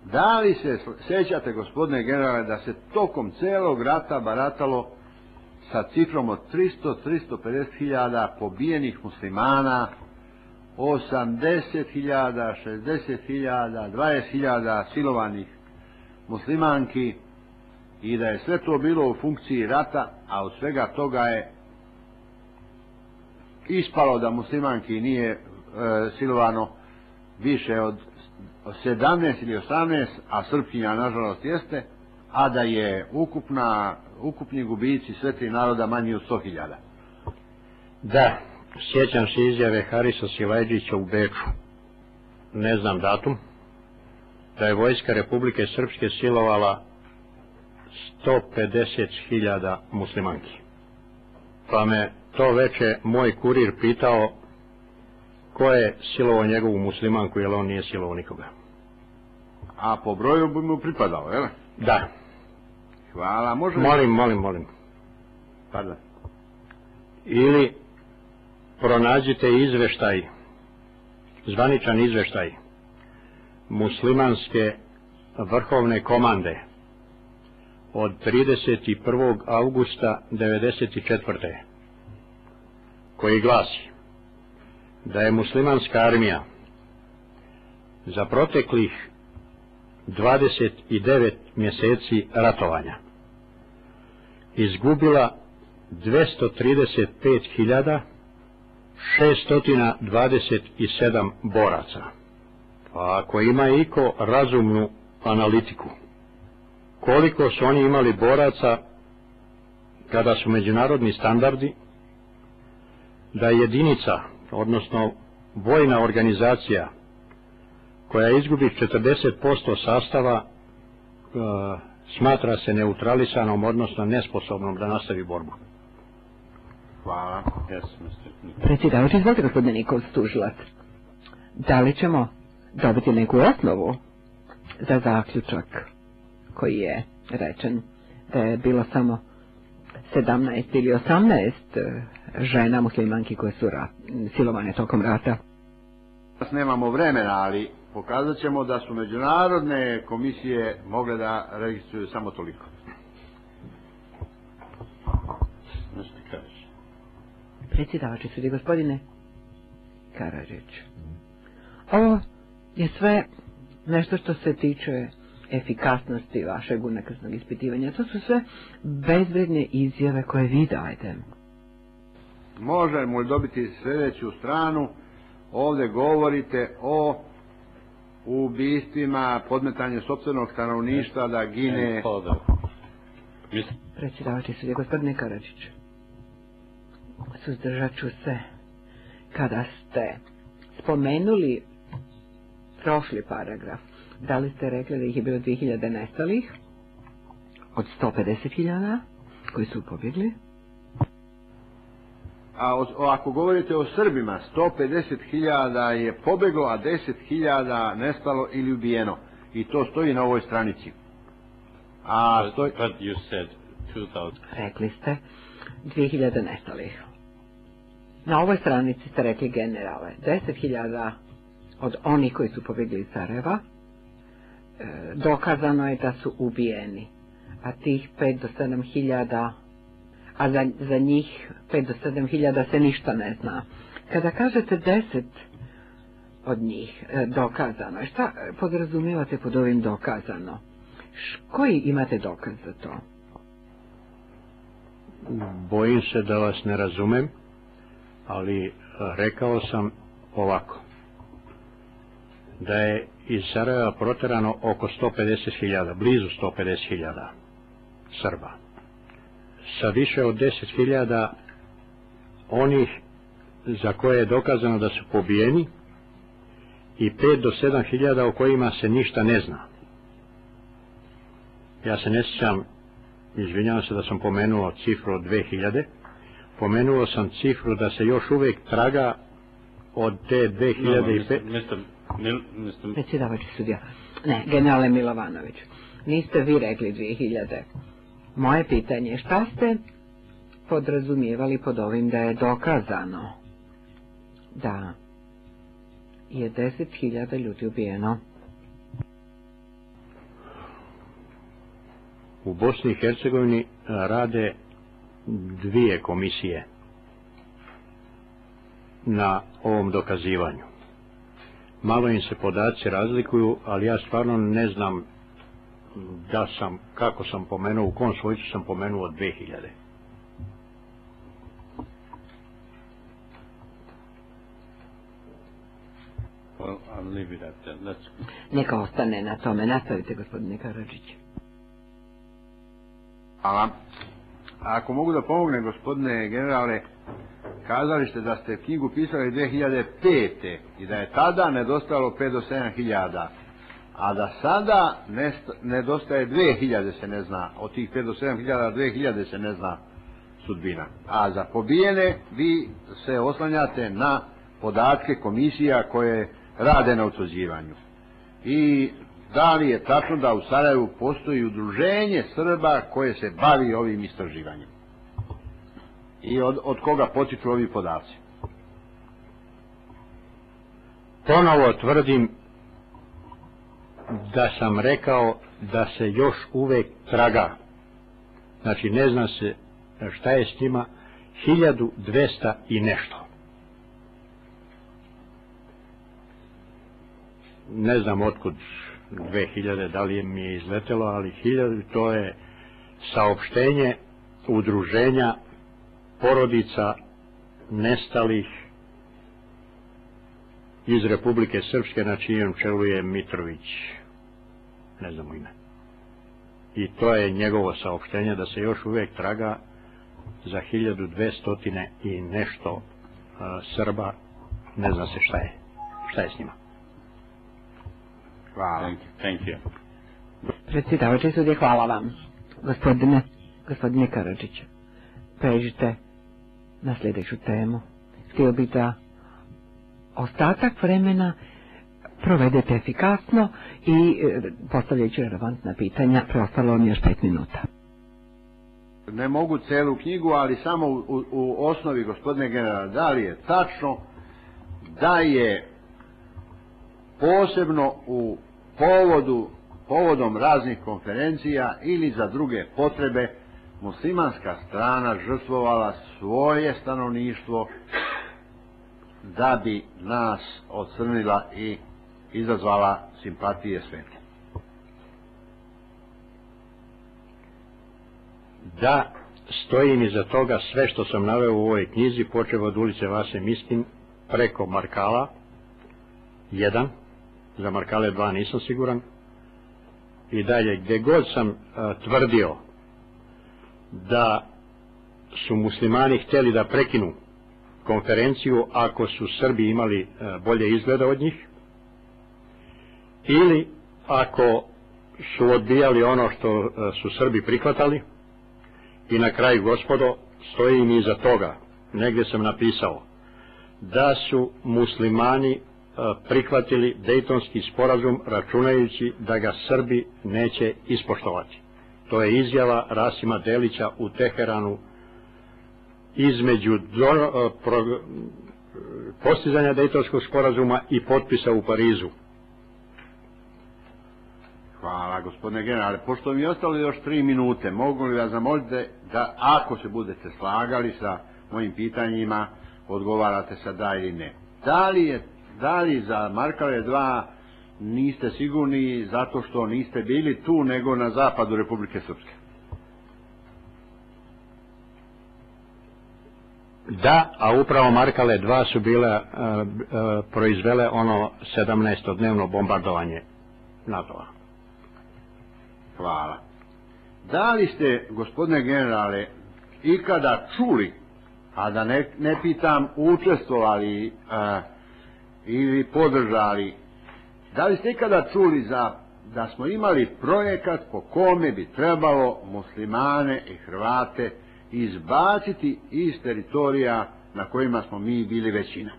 Da li se sjećate, gospodine generale, da se tokom celog rata baratalo sa cifrom od 300-350 hiljada pobijenih muslimana, 80 hiljada, 60 hiljada, 20 hiljada silovanih muslimanki i da je sve to bilo u funkciji rata, a od svega toga je ispalo da muslimanki nije silovano više od 17 ili 18, a Srpkinja nažalost jeste, a da je ukupni gubici sve tri naroda manji od 100 hiljada. Da, sjećam se izjave Harisa Silajđića u Beču, ne znam datum, da je vojska Republike Srpske silovala 150.000 muslimanki. Pa me to veče moj kurir pitao ko je silovao njegovu muslimanku, jer on nije silovao nikoga. A po broju bi mu pripadao, jel? Da. Hvala, može... Molim. Pardon. Ili pronađite izveštaj, zvaničan izveštaj muslimanske vrhovne komande od 31. augusta 1994. koji glasi da je muslimanska armija za proteklih 29 mjeseci ratovanja izgubila 235.627 boraca. Pa ako ima iko razumnu analitiku, koliko su oni imali boraca kada su međunarodni standardi da jedinica, odnosno vojna organizacija koja izgubi 40% sastava smatra se neutralisanom, odnosno nesposobnom da nastavi borbu. Hvala. Predsjedavajući, izvolite gospodine Nikolić, tužilac. Da li ćemo dobiti neku osnovu za zaključak koji je rečen da je bilo samo 17 ili 18 žena muslimanki koje su silovane tokom rata? Nemamo vremena, ali pokazat ćemo da su međunarodne komisije mogle da registruju samo toliko. Predsjedavajući sudi, gospodine Karadžić. Ovo je sve nešto što se tiče efikasnosti vašeg unakrsnog ispitivanja. To su sve bezvredne izjave koje vi dajete. Možemo li dobiti sljedeću stranu? Ovdje govorite o ubistvima, podmetanju sopstvenog stanovništva da gine... Predsjedavajući sudije, gospodine Karadžić, suzdržat ću se kada ste spomenuli prošli paragraf. Da li ste rekli da ih je bilo 2000 nestalih od 150.000 koji su pobjegli? A ako govorite o Srbima, 150.000 je pobjeglo, a 10.000 nestalo ili ubijeno. I to stoji na ovoj stranici. Rekli ste 2000 nestalih. Na ovoj stranici ste rekli generale 10.000 od onih koji su pobjegli iz Sarajeva. Dokazano je da su ubijeni. A tih 5 do 7.000, a za njih 5 do 7.000 se ništa ne zna. Kada kažete 10 od njih dokazano, šta podrazumijevate pod ovim dokazano? Koji imate dokaz za to? Bojim se da vas ne razumem, ali rekao sam ovako. Da je iz Sarajeva proterano oko 150.000, blizu 150.000 Srba. Sa više od 10.000 onih za koje je dokazano da su pobijeni i 5 do 7.000 o kojima se ništa ne zna. Ja se ne sjećam, izvinjavam se da sam pomenuo cifru od 2.000, pomenuo sam cifru da se još uvijek traga od te 2005... Predsjedavajući sudija. Ne, generale Milovanović, niste vi rekli 2000. Moje pitanje je šta ste podrazumijevali pod ovim da je dokazano da je 10.000 ljudi ubijeno? U Bosni i Hercegovini rade 2 komisije na ovom dokazivanju. Malo im se podaci razlikuju, ali ja stvarno ne znam kako sam pomenuo, u kom svojcu sam pomenuo 2000. Well, I'll leave it at that. Neka ostane na tome. Nastavite, gospodine Karadžić. Hvala. Ako mogu da pomognem, gospodine generale, kazali ste da ste knjigu pisali 2005. i da je tada nedostajalo 5 do 7 hiljada, a da sada nedostaje 2000 se ne zna, od tih 5 do 7 hiljada 2000 se ne zna sudbina. A za pobijene vi se oslanjate na podatke komisija koje rade na utvrđivanju. I da li je tačno da u Sarajevu postoji udruženje Srba koje se bavi ovim istraživanjem? I od koga potiču ovi podaci? Ponovo tvrdim da sam rekao da se još uvek traga. Znači ne zna se šta je s njima, 1200 i nešto. Ne znam otkud 2000, da li mi je izletelo, ali 1000, to je saopštenje udruženja porodica nestalih iz Republike Srpske, na čijem čelu je Mitrović, ne znam ime. I to je njegovo saopštenje da se još uvijek traga za 1200 i nešto Srba, ne zna se šta je s njima. Hvala. Thank you. Predsjedavajući sudije, hvala vam. Gospodine Karadžiću, pređite na sljedeću temu. Htio bih da ostatak vremena provedete efikasno i postavljajući relevantna pitanja, preostalo vam još 5 minuta. Ne mogu celu knjigu, ali samo u osnovi, gospodine generale, da li je tačno da je posebno u povodom raznih konferencija ili za druge potrebe muslimanska strana žrtvovala svoje stanovništvo da bi nas ocrnila i izazvala simpatije sveta? Da, stojim iza toga sve što sam naveo u ovoj knjizi, počeo od ulice Vase Miskin preko Markala 1, za Markale 2 nisam siguran, i dalje gdje god sam tvrdio da su muslimani htjeli da prekinu konferenciju ako su Srbi imali bolje izgleda od njih, ili ako su odbijali ono što su Srbi prihvatali. I na kraju, gospodo, stojim iza toga, negdje sam napisao da su muslimani prihvatili Dejtonski sporazum računajući da ga Srbi neće ispoštovati. To je izjava Rasima Delića u Teheranu između postizanja Dejtonskog sporazuma i potpisa u Parizu. Hvala, gospodine generale. Pošto mi je ostalo još 3 minute, mogu li vas zamoliti da, ako se budete slagali sa mojim pitanjima, odgovarate sa da ili ne? Da li za Markale 2 niste sigurni zato što niste bili tu nego na zapadu Republike Srpske? Da, a upravo Markale 2 su bile proizvele ono 17-dnevno bombardovanje NATO-a. Hvala. Da li ste, gospodine generale, ikada čuli, a da ne pitam učestvovali ili podržali, da li ste ikada čuli da smo imali projekat po kome bi trebalo muslimane i Hrvate izbaciti iz teritorija na kojima smo mi bili većina?